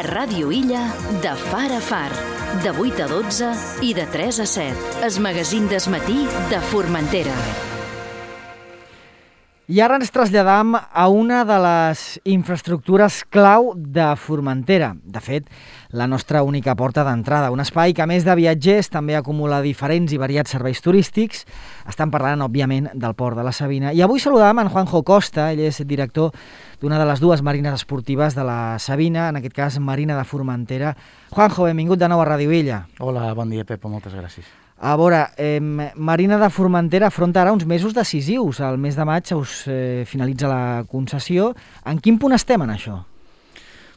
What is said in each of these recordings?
A Ràdio Illa, de far a far, de 8 a 12 i de 3 a 7. El magazín del matí de Formentera. I ara ens traslladam a una de les infraestructures clau de Formentera. De fet, la nostra única porta d'entrada. Un espai que, a més de viatgers, també acumula diferents i variats serveis turístics. Estan parlant, òbviament, del Port de la Sabina. I avui saludam en Juanjo Costa. Ell és director d'una de les dues marines esportives de la Sabina, en aquest cas Marina de Formentera. Juanjo, benvingut de nou a Ràdio Illa. Hola, bon dia, Pepo, moltes gràcies. A veure, Marina de Formentera afronta ara uns mesos decisius. Al mes de maig us finalitza la concessió. En quin punt estem en això?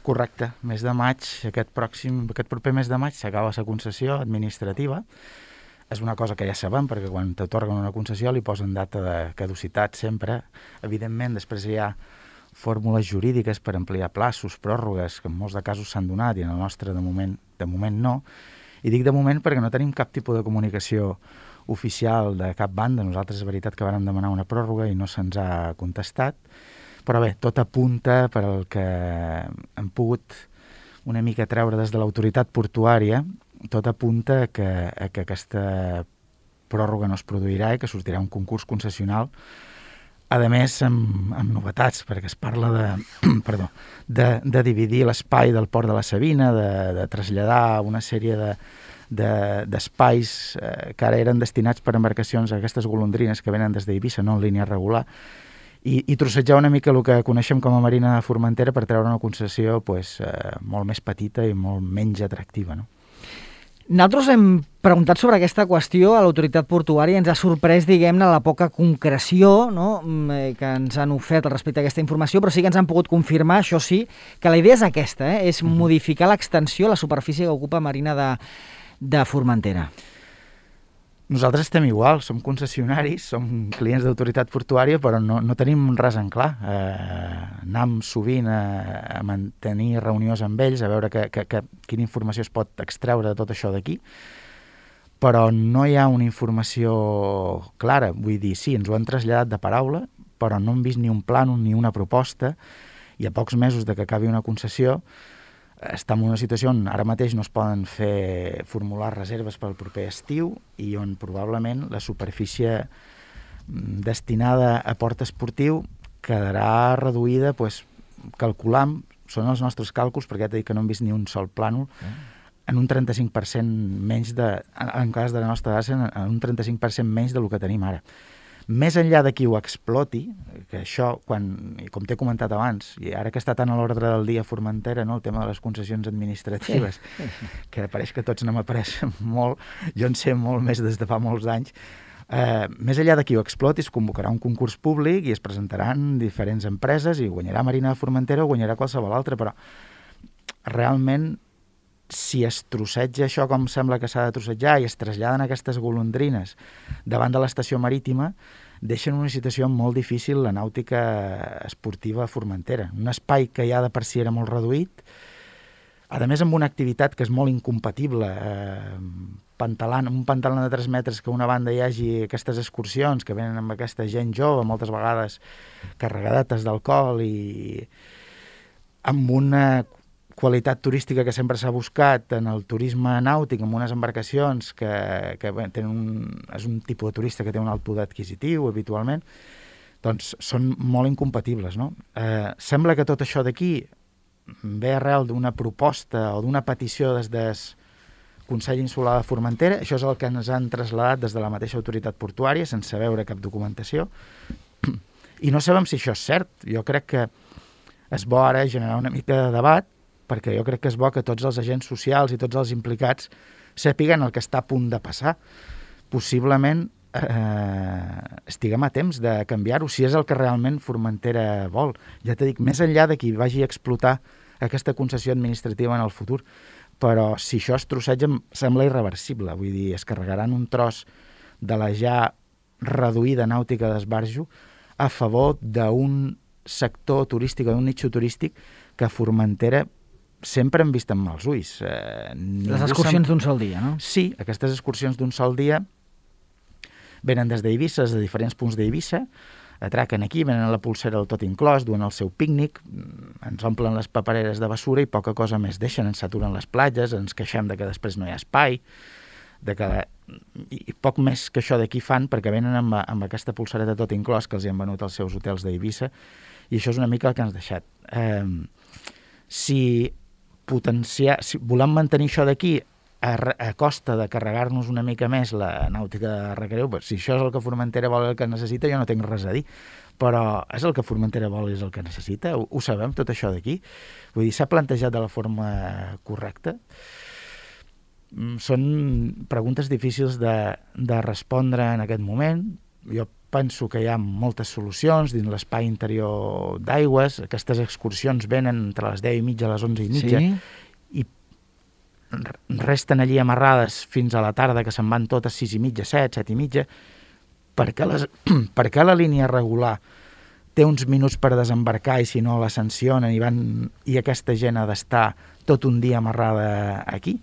Correcte, mes de maig, aquest proper mes de maig s'acaba la concessió administrativa. És una cosa que ja sabem, perquè quan t'atorguen una concessió li posen data de caducitat sempre. Evidentment, després hi ha fórmules jurídiques per ampliar plaços, pròrrogues, que en molts de casos s'han donat i en el nostre de moment no. I dic de moment perquè no tenim cap tipus de comunicació oficial de cap banda. Nosaltres és veritat que vàrem demanar una pròrroga i no se'ns ha contestat. Però bé, tot apunta per al que hem pogut una mica treure des de l'autoritat portuària, tot apunta que aquesta pròrroga no es produirà i que sortirà un concurs concessional, a més amb novetats, perquè es parla de dividir l'espai del Port de la Sabina, de traslladar una sèrie d'espais que ara eren destinats per embarcacions a aquestes golondrines que venen des d'Eivissa, no en línia regular, i trossejar una mica el que coneixem com a Marina de Formentera per treure una concessió molt més petita i molt menys atractiva, no? Nosaltres hem preguntat sobre aquesta qüestió a l'autoritat portuària i ens ha sorprès, diguem-ne, la poca concreció, no?, que ens han ofert respecte a aquesta informació, però sí que ens han pogut confirmar, això sí, que la idea és aquesta, és modificar l'extensió, la superfície que ocupa Marina de Formentera. Nosaltres estem igual, som concessionaris, som clients d'autoritat portuària, però no tenim res en clar. Anem sovint a mantenir reunions amb ells, a veure quina informació es pot extreure de tot això d'aquí, però no hi ha una informació clara. Vull dir, sí, ens ho han traslladat de paraula, però no hem vist ni un plànol ni una proposta, i a pocs mesos de que acabi una concessió estem en una situació on ara mateix no es poden formular reserves pel proper estiu i on probablement la superfície destinada a port esportiu quedarà reduïda, calculam, són els nostres càlculs, perquè ja t'he dit que no hem vist ni un sol plànol, en un 35% menys en cas de la nostra data, en un 35% menys del que tenim ara. Més enllà de qui ho exploti, que això, com t'he comentat abans, i ara que està tan a l'ordre del dia a Formentera, no, el tema de les concessions administratives, que pareix que tots no m'apareix molt, jo en sé molt més des de fa molts anys, més enllà de qui ho exploti, es convocarà un concurs públic i es presentaran diferents empreses i guanyarà Marina de Formentera o guanyarà qualsevol altra, però realment si es trosseja això com sembla que s'ha de trossejar i es traslladen aquestes golondrines davant de l'estació marítima, deixen una situació molt difícil la nàutica esportiva a Formentera. Un espai que ja de per si era molt reduït, a més amb una activitat que és molt incompatible, un pantalan de 3 metres que a una banda hi hagi aquestes excursions que venen amb aquesta gent jove, moltes vegades carregadetes d'alcohol i amb una qualitat turística que sempre s'ha buscat en el turisme nàutic, amb unes embarcacions que és un tipus de turista que té un alt poder adquisitiu habitualment, doncs són molt incompatibles, no? Sembla que tot això d'aquí ve arrel d'una proposta o d'una petició des del Consell Insular de Formentera. Això és el que ens han traslladat des de la mateixa autoritat portuària, sense veure cap documentació, i no sabem si això és cert. Jo crec que és bo ara generar una mica de debat, perquè jo crec que és bo que tots els agents socials i tots els implicats sàpiguen el que està a punt de passar. Possiblement estiguem a temps de canviar-ho, si és el que realment Formentera vol. Ja t'he dit, més enllà de qui vagi a explotar aquesta concessió administrativa en el futur, però si això es trosseja sembla irreversible. Vull dir, es carregaran un tros de la ja reduïda nàutica d'esbarjo a favor d'un sector turístic o d'un nicho turístic que a Formentera sempre hem vist amb mals ulls. Les excursions d'un sol dia, no? Sí, aquestes excursions d'un sol dia venen des d'Eivissa, des de diferents punts d'Eivissa, atraquen aquí, venen a la pulsera del tot inclòs, duen el seu pícnic, ens omplen les papereres de basura i poca cosa més deixen, ens saturen les platges, ens queixem de que després no hi ha espai, i poc més que això d'aquí fan perquè venen amb aquesta pulsereta tot inclòs que els hi han venut als seus hotels d'Eivissa, i això és una mica el que ens ha deixat. Si volem mantenir això d'aquí a costa de carregar-nos una mica més la nàutica de recreu, si això és el que Formentera vol i el que necessita, jo no tinc res a dir, però és el que Formentera vol i és el que necessita, ho sabem tot això d'aquí, vull dir, s'ha plantejat de la forma correcta. Són preguntes difícils de respondre en aquest moment. Jo penso que hi ha moltes solucions dins l'espai interior d'Aigües. Aquestes excursions venen entre les 10:30 i les 11:30 i resten allí amarrades fins a la tarda, que se'n van totes 6:30, 7, 7:30. Per què la línia regular té uns minuts per desembarcar i si no la sancionen i aquesta gent ha d'estar tot un dia amarrada aquí?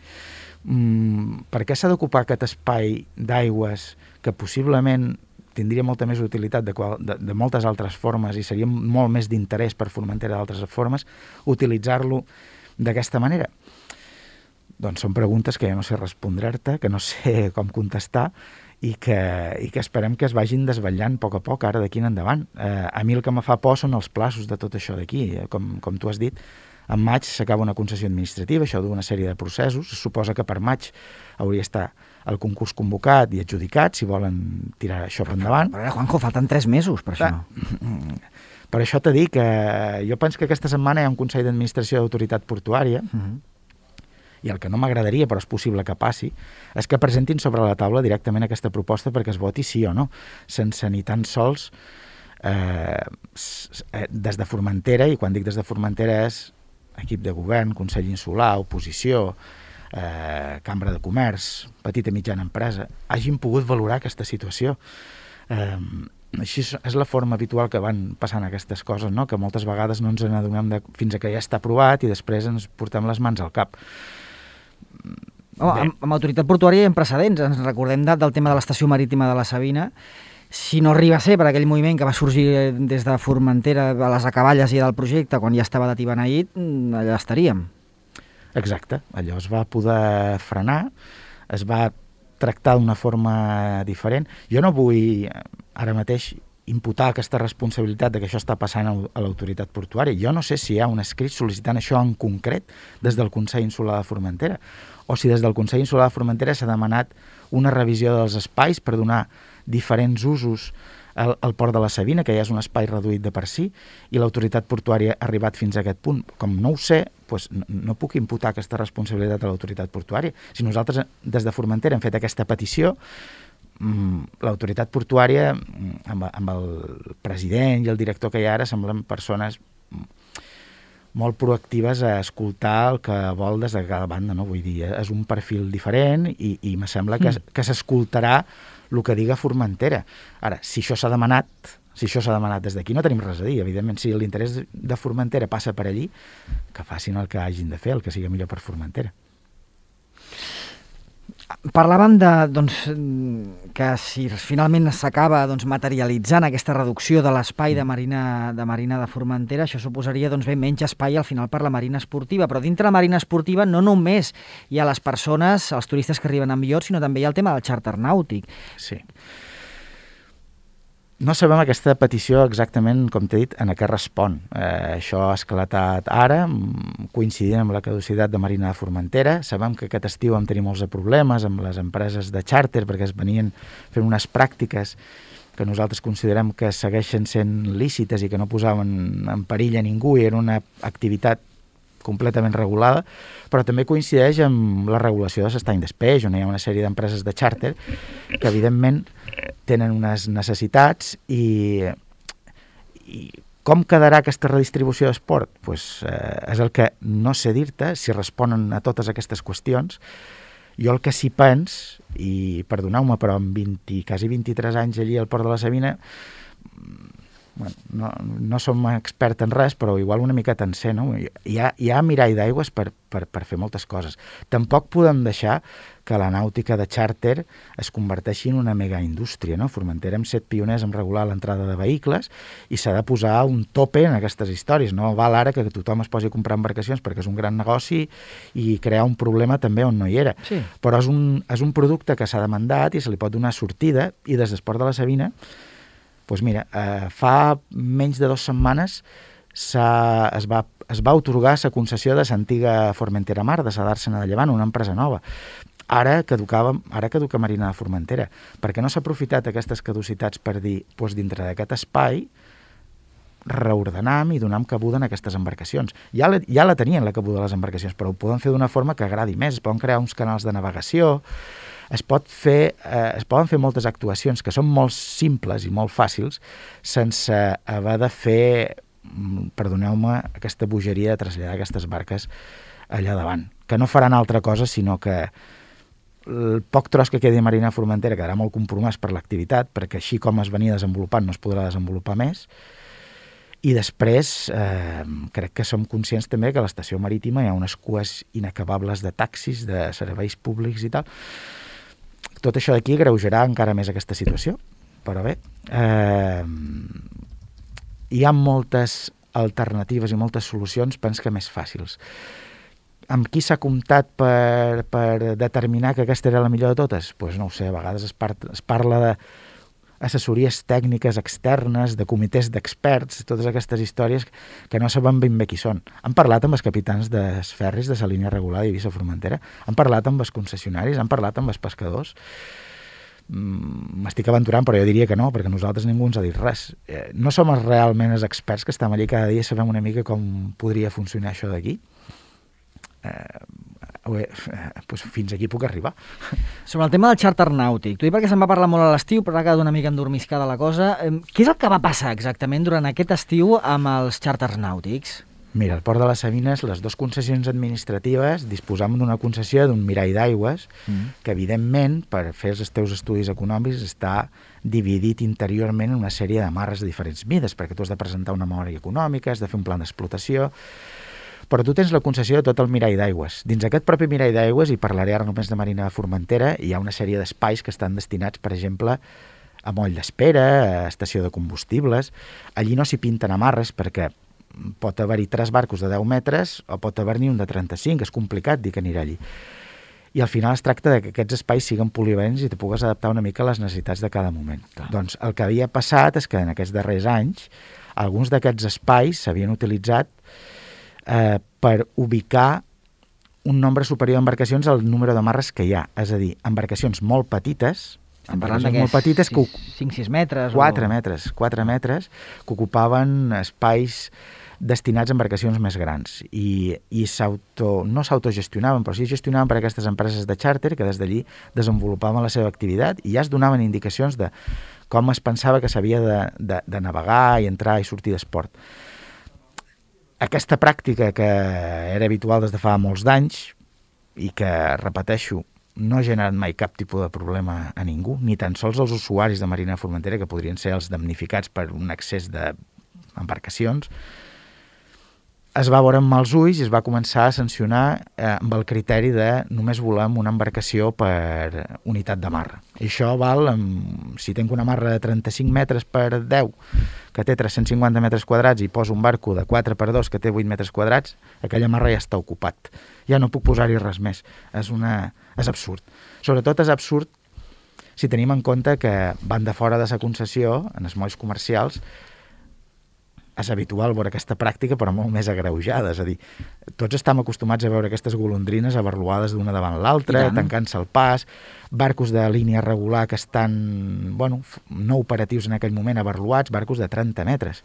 Per què s'ha d'ocupar aquest espai d'Aigües que possiblement tindria molta més utilitat de moltes altres formes i seria molt més d'interès per Formentera d'altres formes, utilitzar-lo d'aquesta manera? Doncs són preguntes que jo no sé respondre-te, que no sé com contestar i que esperem que es vagin desvetllant a poc ara d'aquí en endavant. A mi el que me fa por són els plaços de tot això d'aquí. Com tu has dit, en maig s'acaba una concessió administrativa, això d'una sèrie de processos. Es suposa que per maig hauria d'estar el concurs convocat i adjudicat, si volen tirar això per endavant. Però ara, Juanjo, falten 3 mesos per això. Per això t'he dit que jo penso que aquesta setmana hi ha un Consell d'Administració d'Autoritat Portuària, i el que no m'agradaria, però és possible que passi, és que presentin sobre la taula directament aquesta proposta perquè es voti sí o no, sense ni tan sols des de Formentera, i quan dic des de Formentera és equip de govern, Consell Insular, oposició, Cambra de Comerç, petita i mitjana empresa, hagin pogut valorar aquesta situació. Així és la forma habitual que van passant aquestes coses, no? Que moltes vegades no ens n'adonem fins que ja està aprovat i després ens portem les mans al cap. Amb autoritat portuària hi ha precedents. Ens recordem del tema de l'estació marítima de la Sabina. Si no arriba a ser per aquell moviment que va sorgir des de Formentera, a les acaballes i del projecte, quan ja estava de tibeneït, allà estaríem. Exacte, allò es va poder frenar, es va tractar d'una forma diferent. Jo no vull ara mateix imputar aquesta responsabilitat de que això està passant a l'autoritat portuària. Jo no sé si hi ha un escrit sol·licitant això en concret des del Consell Insular de Formentera, o si des del Consell Insular de Formentera s'ha demanat una revisió dels espais per donar diferents usos al port de la Sabina, que ja és un espai reduït de per si, i l'autoritat portuària ha arribat fins a aquest punt. Com no ho sé, doncs no puc imputar aquesta responsabilitat a l'autoritat portuària. Si nosaltres des de Formentera hem fet aquesta petició, l'autoritat portuària, amb el president i el director que hi ha ara, semblen persones molt proactives a escoltar el que vol des de cada banda, no? Vull dir, és un perfil diferent i me sembla que s'escoltarà el que diga Formentera. Ara, si això s'ha demanat des d'aquí, no tenim res a dir. Evidentment, si l'interès de Formentera passa per allí, que facin el que hagin de fer, el que sigui millor per Formentera. Parlàvem que si finalment s'acaba materialitzant aquesta reducció de l'espai de marina de Formentera, això suposaria menys espai al final per la marina esportiva, però dintre la marina esportiva no només hi ha les persones, els turistes que arriben amb iots, sinó també hi ha el tema del xàrter nàutic. Sí. No sabem aquesta petició exactament, com t'he dit, en què respon. Això ha esclatat ara, coincidint amb la caducitat de Marina de Formentera. Sabem que aquest estiu vam tenir molts problemes amb les empreses de xàrter perquè es venien fent unes pràctiques que nosaltres considerem que segueixen sent lícites i que no posaven en perill a ningú i era una activitat completament regulada, però també coincideix amb la regulació de l'estany d'espeix, on hi ha una sèrie d'empreses de xàrter que evidentment tenen unes necessitats i com quedarà aquesta redistribució d'esport? És el que no sé dir-te, si responen a totes aquestes qüestions. Jo el que sí pens, i perdoneu-me, però amb quasi 23 anys allí al Port de la Sabina, bueno, no som expert en res, però igual una miqueta en sé, no? Hi ha mirall d'aigües per fer moltes coses. Tampoc podem deixar que la nàutica de xàrter es converteixi en una mega indústria, no? Formentera hem set pioners en regular l'entrada de vehicles i s'ha de posar un tope en aquestes històries. No val ara que tothom es posi a comprar embarcacions perquè és un gran negoci i crear un problema també on no hi era. Sí. Però és un producte que s'ha demandat i se li pot donar sortida, i des d'Esport de la Sabina, doncs mira, fa menys de 2 setmanes es va atorgar la concessió de l'antiga Formentera Mar, de la d'Àrsena de Llevant, una empresa nova. Ara caduca Marina de Formentera, perquè no s'ha aprofitat aquestes caducitats per dir, doncs dintre d'aquest espai reordenam i donam cabuda en aquestes embarcacions. Ja la tenien, la cabuda de les embarcacions, però ho poden fer d'una forma que agradi més, es poden crear uns canals de navegació, es poden fer moltes actuacions que són molt simples i molt fàcils sense haver de fer, perdoneu-me, aquesta bogeria de traslladar aquestes barques allà davant, que no faran altra cosa sinó que el poc tros que quedi a Marina de Formentera quedarà molt compromès per l'activitat, perquè així com es venia desenvolupant no es podrà desenvolupar més. I després crec que som conscients també que a l'estació marítima hi ha unes cues inacabables de taxis, de serveis públics i tal. Tot això d'aquí agreujarà encara més aquesta situació, però bé, hi ha moltes alternatives i moltes solucions, penso que més fàcils. Amb qui s'ha comptat per determinar que aquesta era la millor de totes? Doncs no ho sé, a vegades es parla d'assessories tècniques externes, de comitès d'experts, totes aquestes històries que no sabem ben bé qui són. Han parlat amb els capitans dels ferris de la línia regular d'Eivissa-Formentera, han parlat amb els concessionaris, han parlat amb els pescadors. M'estic aventurant, però jo diria que no, perquè nosaltres ningú ens ha dit res. No som realment els experts que estem allí cada dia, sabem una mica com podria funcionar això d'aquí. Doncs fins aquí puc arribar. Sobre el tema del xàrter nàutic, t'ho dic perquè se'n va parlar molt a l'estiu, però ha quedat una mica endormiscada la cosa. Què és el que va passar exactament durant aquest estiu amb els xàrters nàutics? Mira, al Port de les Sabines, les 2 concessions administratives disposam d'una concessió d'un mirall d'aigües que, evidentment, per fer els teus estudis econòmics, està dividit interiorment en una sèrie de marres de diferents mides, perquè tu has de presentar una memòria econòmica, has de fer un pla d'explotació, però tu tens la concessió de tot el mirall d'aigües. Dins aquest propi mirall d'aigües, i parlaré ara només de Marina de Formentera, hi ha una sèrie d'espais que estan destinats, per exemple, a moll d'espera, a estació de combustibles. Allí no s'hi pinten amarres perquè pot haver-hi 3 barcos de 10 metres o pot haver-n'hi un de 35, és complicat dir que anirà allí. I al final es tracta que aquests espais siguin polivalents i te pugues adaptar una mica a les necessitats de cada moment. Clar. Doncs el que havia passat és que en aquests darrers anys alguns d'aquests espais s'havien utilitzat per ubicar un nombre superior d'embarcacions al número de marres que hi ha. És a dir, embarcacions molt petites, molt petites, 5-6 metres. 4 metres, que ocupaven espais destinats a embarcacions més grans i no s'autogestionaven, però sí gestionaven per aquestes empreses de xàrter que des d'allí desenvolupaven la seva activitat i ja es donaven indicacions de com es pensava que s'havia de navegar i entrar i sortir d'esport. Aquesta pràctica que era habitual des de fa molts d'anys i que, repeteixo, no ha generat mai cap tipus de problema a ningú, ni tan sols els usuaris de Marina de Formentera, que podrien ser els damnificats per un excés d'embarcacions, es va veure amb mals ulls i es va començar a sancionar amb el criteri de només volem una embarcació per unitat de marra. I això val, si tenc una marra de 35 metres per 10, que té 350 metres quadrats i poso un barco de 4 per 2 que té 8 metres quadrats, aquella marra ja està ocupat. Ja no puc posar-hi res més. És absurd. Sobretot és absurd si tenim en compte que van de fora de la concessió, en els molls comercials, és habitual veure aquesta pràctica, però molt més agreujada. És a dir, tots estem acostumats a veure aquestes golondrines abarluades d'una davant l'altra, tancant-se el pas, barcos de línia regular que estan, no operatius en aquell moment, abarluats, barcos de 30 metres.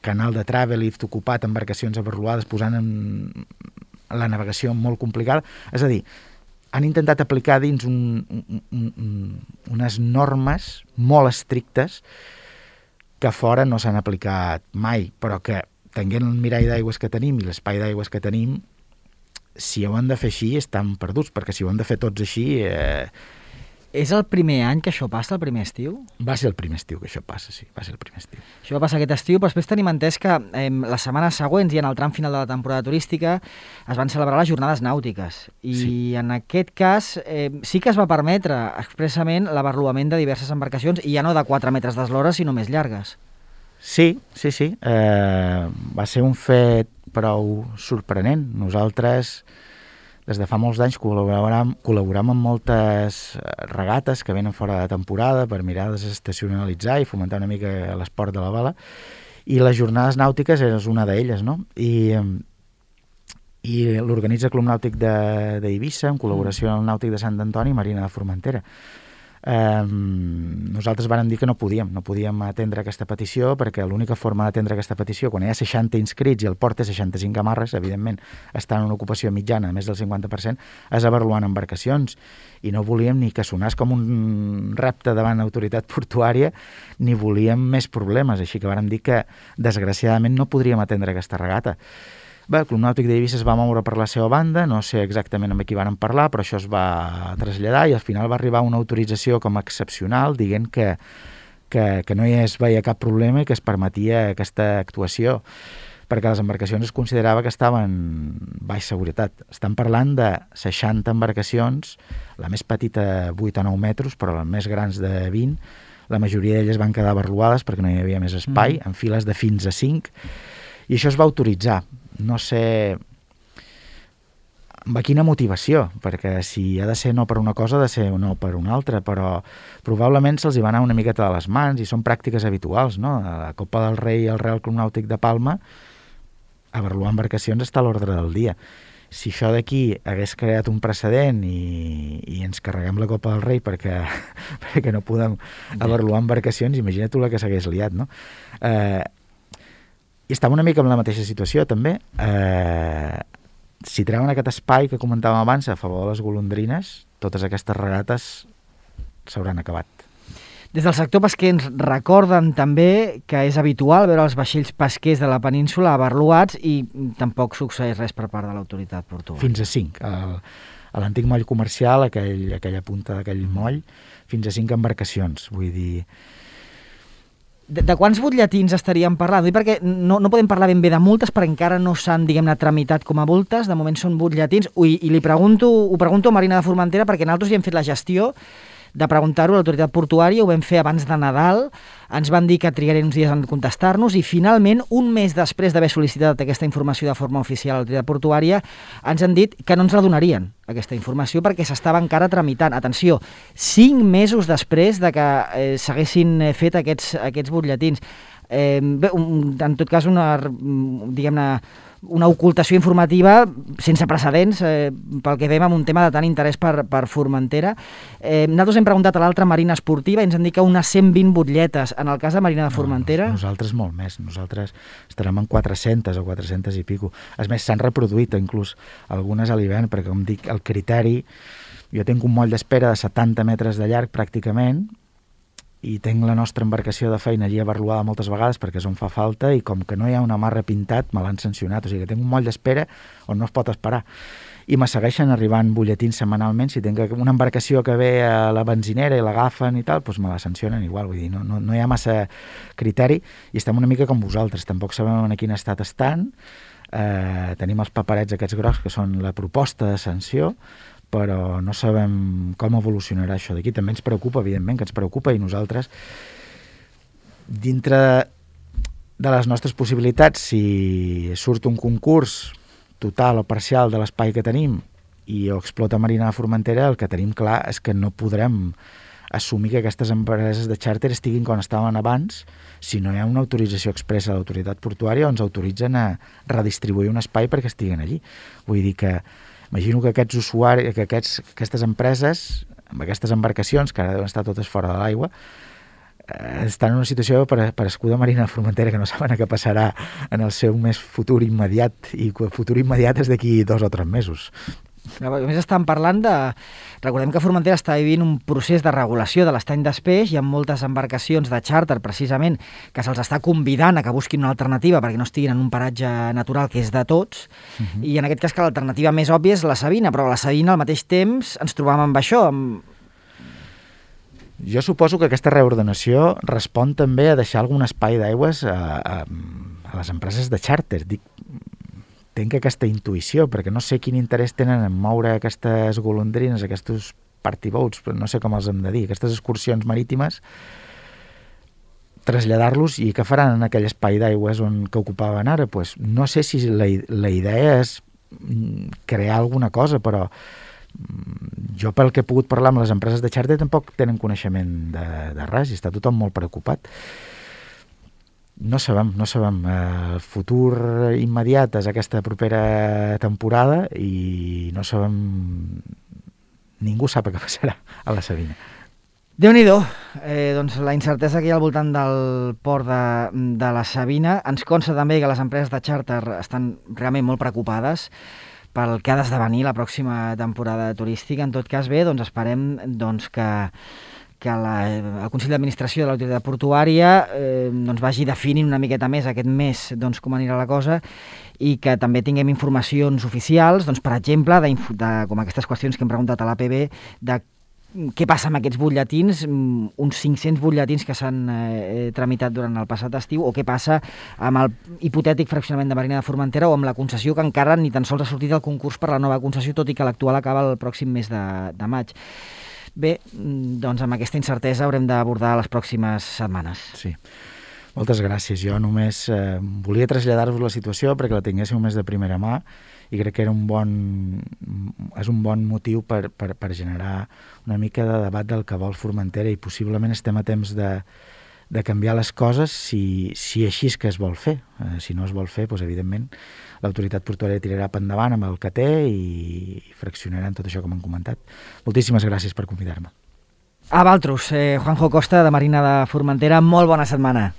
Canal de Travelift ocupat, embarcacions abarluades, posant la navegació molt complicada. És a dir, han intentat aplicar dins unes normes molt estrictes que fora no s'han aplicat mai, però que, tenint el mirall d'aigües que tenim i l'espai d'aigües que tenim, si ho han de fer així, estan perduts, perquè si ho han de fer tots així, És el primer any que això passa, el primer estiu? Va ser el primer estiu que això passa, sí, va ser el primer estiu. Això va passar aquest estiu, però després tenim entès que les setmanes següents i en el tram final de la temporada turística es van celebrar les jornades nàutiques. I en aquest cas sí que es va permetre expressament l'avarluament de diverses embarcacions i ja no de 4 metres d'eslora, sinó més llargues. Sí. Va ser un fet prou sorprenent. Nosaltres, des de fa molts anys, col·laborem amb moltes regates que venen fora de temporada per mirar de desestacionalitzar i fomentar una mica l'esport de la vela, i les jornades nàutiques és una d'elles, no? I l'organitza Club Nàutic d'Eivissa, en col·laboració amb el Nàutic de Sant Antoni i Marina de Formentera. Nosaltres vàrem dir que no podíem atendre aquesta petició, perquè l'única forma d'atendre aquesta petició, quan hi ha 60 inscrits i el port té 65 amarres, evidentment està en una ocupació mitjana, a més del 50%, és avaluant embarcacions, i no volíem ni que sonés com un repte davant l'autoritat portuària, ni volíem més problemes, així que vàrem dir que desgraciadament no podríem atendre aquesta regata. Bé, el Club Nàutic d'Eivissa es va moure per la seva banda, no sé exactament amb qui van parlar, però això es va traslladar i al final va arribar una autorització com a excepcional dient que no hi es veia cap problema i que es permetia aquesta actuació, perquè les embarcacions es considerava que estaven en baixa seguretat. Estan parlant de 60 embarcacions, la més petita 8 o 9 metres, però les més grans de 20, la majoria d'elles van quedar abarluades perquè no hi havia més espai, en files de fins a 5, i això es va autoritzar. No sé amb quina motivació, perquè si ha de ser no per una cosa, ha de ser no per una altra, però probablement se'ls hi va anar una miqueta de les mans i són pràctiques habituals, no? A la Copa del Rei i el Real Club Nàutic de Palma, avaluar embarcacions està a l'ordre del dia. Si això d'aquí hagués creat un precedent i ens carreguem la Copa del Rei perquè no podem avaluar embarcacions, imagina't tu la que s'hagués liat, no? I estava una mica en la mateixa situació, també. Si treuen aquest espai que comentàvem abans a favor de les golondrines, totes aquestes regates s'hauran acabat. Des del sector pesquer ens recorden també que és habitual veure els vaixells pesquers de la península abarluats i tampoc succeeix res per part de l'autoritat portuària. Fins a 5. A l'antic moll comercial, aquella punta d'aquell moll, fins a 5 embarcacions. Vull dir... De quants butlletins estaríem parlant? Perquè no podem parlar ben bé de multes perquè encara no s'han, diguem-ne, tramitat com a multes, de moment són butlletins, i ho pregunto a Marina de Formentera perquè nosaltres ja hem fet la gestió de preguntar-ho a l'autoritat portuària, ho vam fer abans de Nadal, ens van dir que trigarien uns dies en contestar-nos i finalment, un mes després d'haver sol·licitat aquesta informació de forma oficial a l'autoritat portuària, ens han dit que no ens la donarien, aquesta informació, perquè s'estava encara tramitant. Atenció, 5 mesos després de que s'haguessin fet aquests butlletins. Bé, en tot cas, una ocultació informativa sense precedents pel que veiem amb un tema de tant interès per Formentera. Nosaltres hem preguntat a l'altra Marina Esportiva i ens han dit que unes 120 butlletes. En el cas de Marina de Formentera... Nosaltres molt més. Nosaltres estarem en 400 o 400 i pico. És més, s'han reproduït inclús algunes a l'hivern, perquè com dic, el criteri... Jo tinc un moll d'espera de 70 metres de llarg pràcticament, i tinc la nostra embarcació de feina allí abarluada moltes vegades perquè és on fa falta i com que no hi ha un amarre pintat me l'han sancionat, o sigui que tinc un moll d'espera on no es pot esperar i me segueixen arribant butlletins setmanalment. Si tinc una embarcació que ve a la benzinera i l'agafen i tal, doncs me la sancionen igual, vull dir, no hi ha massa criteri i estem una mica com vosaltres, tampoc sabem en quin estat estan, tenim els paperets aquests grocs que són la proposta de sanció, però no sabem com evolucionarà això d'aquí. També ens preocupa, evidentment, que ens preocupa, i nosaltres, dintre de les nostres possibilitats, si surt un concurs total o parcial de l'espai que tenim i ho explota Marina de Formentera, el que tenim clar és que no podrem assumir que aquestes empreses de xàrter estiguin com estaven abans si no hi ha una autorització expressa de l'autoritat portuària on ens autoritzen a redistribuir un espai perquè estiguin allí. Vull dir que imagino que aquests usuaris, que aquestes empreses, amb aquestes embarcacions, que ara deuen estar totes fora de l'aigua, estan en una situació per escuda Marina de Formentera que no saben què passarà en el seu més futur immediat, i el futur immediat és d'aquí 2 o 3 mesos. A més estan parlant de... Recordem que Formentera està vivint un procés de regulació de l'estany d'espeix. Hi ha moltes embarcacions de xàrter, precisament, que se'ls està convidant a que busquin una alternativa perquè no estiguin en un paratge natural que és de tots. I en aquest cas que l'alternativa més òbvia és la Sabina, però a la Sabina al mateix temps ens trobàvem amb això, Jo suposo que aquesta reordenació respon també a deixar algun espai d'aigües a les empreses de xàrter. Tenc aquesta intuïció, perquè no sé quin interès tenen en moure aquestes golondrines, aquests party boats, però no sé com els hem de dir, aquestes excursions marítimes, traslladar-los, i què faran en aquell espai d'aigües que ocupaven ara? Pues no sé si la idea és crear alguna cosa, però jo, pel que he pogut parlar amb les empreses de xàrter, tampoc tenen coneixement de res, i està tothom molt preocupat. No sabem. El futur immediat és aquesta propera temporada i no sabem... Ningú sap què passarà a la Sabina. Déu-n'hi-do, doncs la incertesa que hi ha al voltant del port de la Sabina. Ens consta també que les empreses de xàrter estan realment molt preocupades pel que ha d'esdevenir la pròxima temporada turística. En tot cas, bé, doncs esperem que el Consell d'Administració de l'Autoritat Portuària doncs vagi definint una miqueta més aquest mes doncs, com anirà la cosa, i que també tinguem informacions oficials, doncs, per exemple, com aquestes qüestions que hem preguntat a l'APB, de què passa amb aquests butlletins, uns 500 butlletins que s'han tramitat durant el passat estiu, o què passa amb el hipotètic fraccionament de Marina de Formentera, o amb la concessió que encara ni tan sols ha sortit el concurs per la nova concessió, tot i que l'actual acaba el pròxim mes de maig. Bé, doncs amb aquesta incertesa haurem d'abordar les pròximes setmanes. Sí. Moltes gràcies. Jo només volia traslladar-vos la situació perquè la tinguéssiu més de primera mà, i crec que és un bon motiu per generar una mica de debat del que vol Formentera, i possiblement estem a temps de canviar les coses si així és que es vol fer. Si no es vol fer, doncs, evidentment, l'autoritat portuària tirarà per endavant amb el que té i fraccionaran tot això com hem comentat. Moltíssimes gràcies per convidar-me. A Valtros, Juanjo Costa, de Marina de Formentera, molt bona setmana.